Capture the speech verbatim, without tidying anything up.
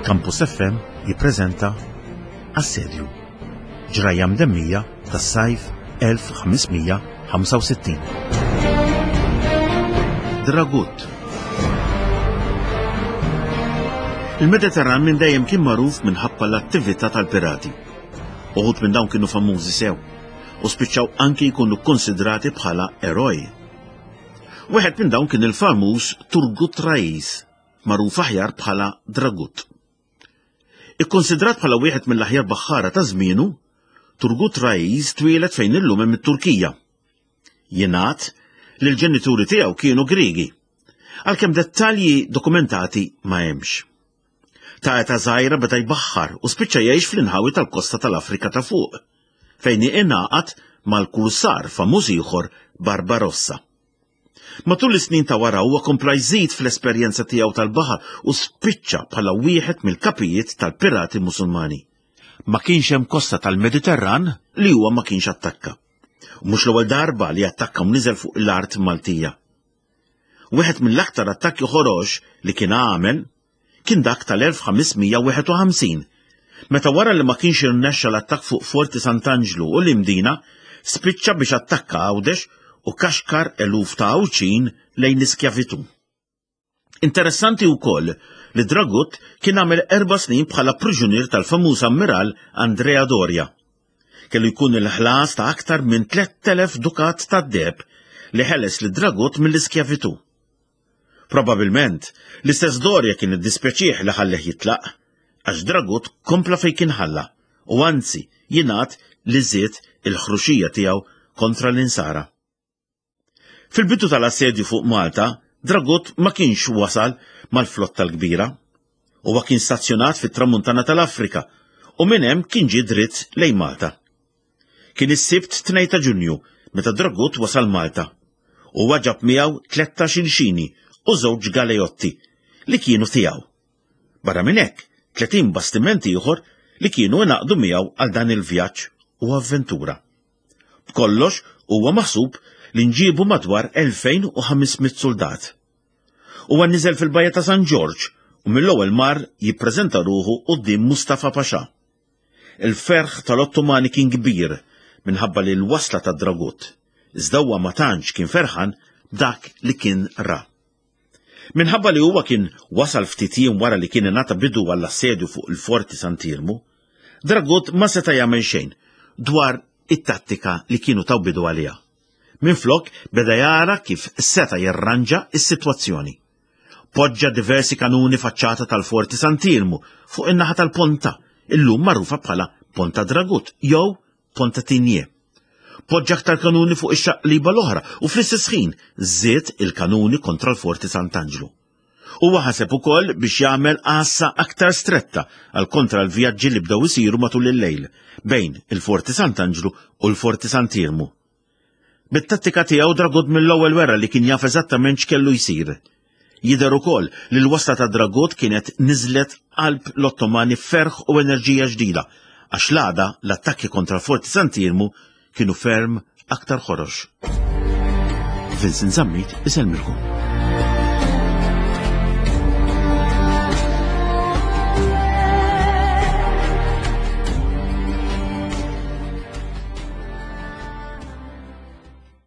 Campus F M jippreżenta Assedju. Ġrajja mdemmija tas-sajf elf ħames mija ħamsa u sittin. Dragut. Il-Mediterran minn dejjem kien magħruf minħabba l-attività tal-pirati. Uħud minn dawn kienu famużi sew u spiċċaw anki jkunu konsidrati bħala eroj. Wieħed minn dawn kien il-famuż Turgut Rais, magħruf aħjar bħala Dragut. Ikkonsidrat bħala wieħed mill-aħjar baħħara ta' żmienu, Turgut Rais twieled fejn illum hemm it-Turkija. Jingħad li l-ġenituri tiegħu kienu Griegi, għalkemm dettalji dokumentati ma hemmx. Ta' età żgħira beda jbaħħar u spiċċa jgħix fl-inħawi tal-kosta tal-Afrika ta' fuq, fejn ingħaqad mal-kursar famuż ieħor Barbarossa. Matul is-snin ta' wara huwa kompla jżid fl-esperjenza tiegħu tal-baħar u spiċċa bħala wieħed mill-kapijiet tal-pirati Musulmani. Ma kienx hemm kosta tal-Mediterran li huwa ma kienx attakka. U mhux l-ewwel darba li attakka u niżel fuq l-art Maltija. Wieħed mill-aktar attakki ħorox li kien għamel kien dak tal-elf ħames mija wieħed u ħamsin, meta wara li ma kienx irnexxa l-attakk fuq Forti Sant'Anġlu u l-Imdina, spiċċa biex attakka Għawdex u kaxkar eluf ta' Għawdxin lejn l-iskjavitu. Interessanti wkoll li Dragut kien għamel erba' snin bħala priġunier tal-famuż ammiral Andrea Doria. Kellu jkun il-ħlas ta' aktar minn tlett elef dukat ta' deheb li ħeles li Dragut mill-iskjavitu. Probabilment, l-istess Doria kien iddispjaċih li ħalleh jitlaq, għax Dragut kompla fej kien ħalla, u anzi jingħad li żied il-ħruxija tiegħu kontra l-insara. Fil-bidu tal-assedju fuq Malta, Dragut ma kienx wasal mal-flotta l-kbira. Huwa kien stazzjonat fit-tramuntana tal-Afrika u minn hemm kien ġie dritt lejn Malta. Kien is-Sibt tnejn ta' Ġunju meta Dragut wasal Malta. U ġab miegħu tlettax-il xini u żewġ galeotti li kienu tiegħu. Barra minn hekk, tletin bastiment ieħor li kienu ingħaqdu miegħu għal dan il-vjaġġ u avventura. B'kollox huwa maħsub li nġibu madwar elfejn u ħames mitt soldat. Huwa niżel fil-bajja ta' San Ġorġ u mill-ewwel mar jippreżenta ruħu quddiem Mustafa Pasha. Il-ferħ tal-Ottomani kien kbir minħabba li l-wasla ta' Dragut, iżda huwa ma tantx kien ferħan dak li kien ra. Minħabba li huwa kien wasal ftit jiem wara li kien ingħata bidu għall-assedju fuq il-Forti Sant'Iermu, Dragut ma seta' jagħmel xejn dwar it-tattika li kienu taw bidu għaliha. Minflok beda jara kif seta' jirranġa is-sitwazzjoni. Poġġa diversi kanuni faċċata tal-Forti Sant'Iermu fuq in-naħa tal-Ponta, illum magħrufa bħala Ponta Dragut jew Ponta Tigné. Poġġa aktar kanuni fuq ix-xaqliba l-oħra u fl-istess ħin żied il-kanuni kontra l-Forti Sant'Anġlu. Huwa ħaseb ukoll biex jagħmel għassa aktar stretta għal kontra l-vjaġġi li bdew isiru matul il-lejl bejn il-Forti Sant'Anġlu u l-Forti Sant'Iermu. Bit-tattika tiegħu Dragut mill-ewwel wera li kien jaf eżattament x'kellu jsir. Jidher ukoll li l-wasla ta' Dragut kienet niżlet qalb l-Ottomani ferħ u enerġija ġdida, għax l-għada l-attakki kontra l-Forti Sant'Iermu kienu ferm aktar ħorox. Vincent Zammit isellmilkom.